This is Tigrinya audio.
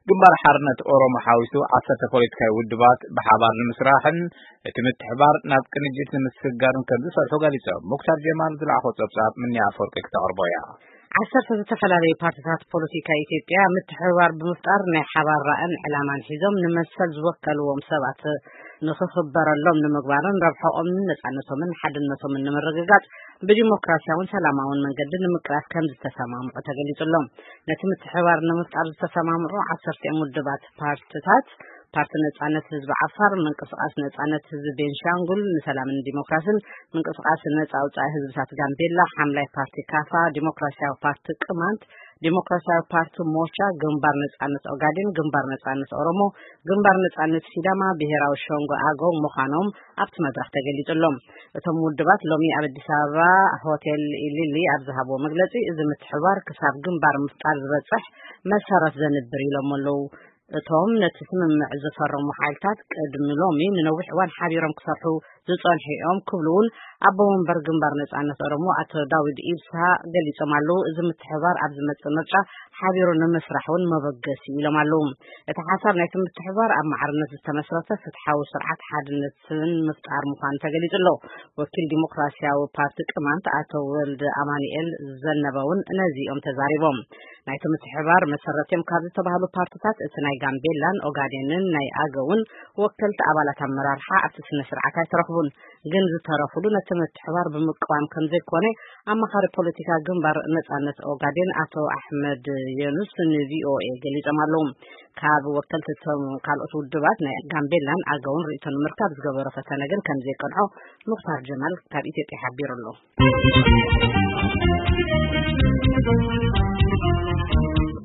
ግንባር ሓርነት ኦሮሞ ሓዊሱ ዓሰርተ ፖለቲካዊ ውድባት ብሓባር ንምስራሕን እቲ ምትሕባር ናብ ቅንጅት ንምስግጋርን ከም ዝሰርሑ ገሊጾም። ሙክታር ጀማል ዝለኣኾ ጸብጻብ ምንያ ኣፈወርቂ ክተቕርቦ እያ። ዓሰርተ ዝተፈላለዩ ፓርቲታት ፖለቲካ ኢትዮጵያ ምትሕብባር ብምፍጣር ናይ ሓባር ራእን ዕላማን ሒዞም ንመሰል ዝወከልዎም ሰባት ንኽኽበረሎም ንምግባርን ረብሐኦምን ነጻነቶምን ሓድነቶምን ንምርግጋጽ ብዲሞክራሲያውን ሰላማውን መንገዲ ንምቅላስ ከም ዝተሰማምዑ ተገሊጹ ኣሎ። ነቲ ምትሕብባር ንምፍጣር ዝተሰማምዑ ዓሰርተ ውድባት ፓርቲታት፣ ፓርቲ ነጻነት ህዝቢ ዓፋር፣ ምንቅስቃስ ነጻነት ህዝቢ ቤንሻንጉል ንሰላምን ዲሞክራሲን፣ ምንቅስቃስ ነጻ ኣውጻኢ ህዝብታት ጋምቤላ፣ ሓምላይ ፓርቲ ካፋ፣ ዲሞክራሲያዊ ፓርቲ ቅማንት፣ ዲሞክራሲያዊ ፓርቲ ሞርቻ፣ ግንባር ነጻነት ኦጋዴን፣ ግንባር ነጻነት ኦሮሞ፣ ግንባር ነጻነት ሲዳማ፣ ብሄራዊ ሸንጎ ኣገው ምዃኖም ኣብቲ መድረኽ ተገሊጹ ኣሎ። እቶም ውድባት ሎሚ ኣብ ኣዲስ ኣበባ ሆቴል ኢሊሊ ኣብ ዝሃብዎ መግለጺ፣ እዚ ምትሕባር ክሳብ ግንባር ምፍጣር ዝበጽሕ መሰረት ዘንብር ኢሎም ኣለዉ። እቶም ነቲ ስምምዕ ዝፈረሙ ሓይልታት ቅድሚ ሎሚ ንነዊሕ እዋን ሓቢሮም ክሰርሑ ዝጸንሑ እዮም ክብሉ እውን ኣቦ መንበር ግንባር ነጻነት ኦሮሞ ኣቶ ዳዊድ ኢብሳ ገሊጾም ኣለዉ። እዚ ምትሕባር ኣብ ዝመጽእ ምርጫ ሓቢሩ ንምስራሕ እውን መበገሲ ኢሎም ኣለዉ። እቲ ሓሳብ ናይቲ ምትሕባር ኣብ ማዕርነት ዝተመስረተ ፍትሓዊ ስርዓት ሓድነትን ምፍጣር ምዃኑ ተገሊጹ ኣሎ። ወኪል ዲሞክራሲያዊ ፓርቲ ቅማንት ኣቶ ወልደ ኣማኑኤል ዘነበ እውን ነዚ እዮም ተዛሪቦም። ናይቲ ምትሕባር መሰረት እዮም ካብ ዝተባህሉ ፓርቲታት እቲ ናይ ጋምቤላን ኦጋዴንን ናይ ኣገውን ወከልቲ ኣባላት ኣመራርሓ ኣብቲ ስነ ስርዓት ኣይተረኽቡን። ግን ዝተረፉሉ ነቲ ምትሕባር ብምቅዋም ከም ዘይኮነ ኣማኻሪ ፖለቲካ ግንባር ነጻነት ኦጋዴን ኣቶ ኣሕመድ የኑስ ንቪኦኤ ገሊጾም ኣለዉ። ካብ ወከልቲ እቶም ካልኦት ውድባት ናይ ጋምቤላን ኣገውን ርእይቶ ንምርካብ ዝገበሮ ፈተነ ግን ከም ዘይቀንዖ ሙክታር ጀማል ካብ ኢትዮጵያ ሓቢሩ ኣሎ።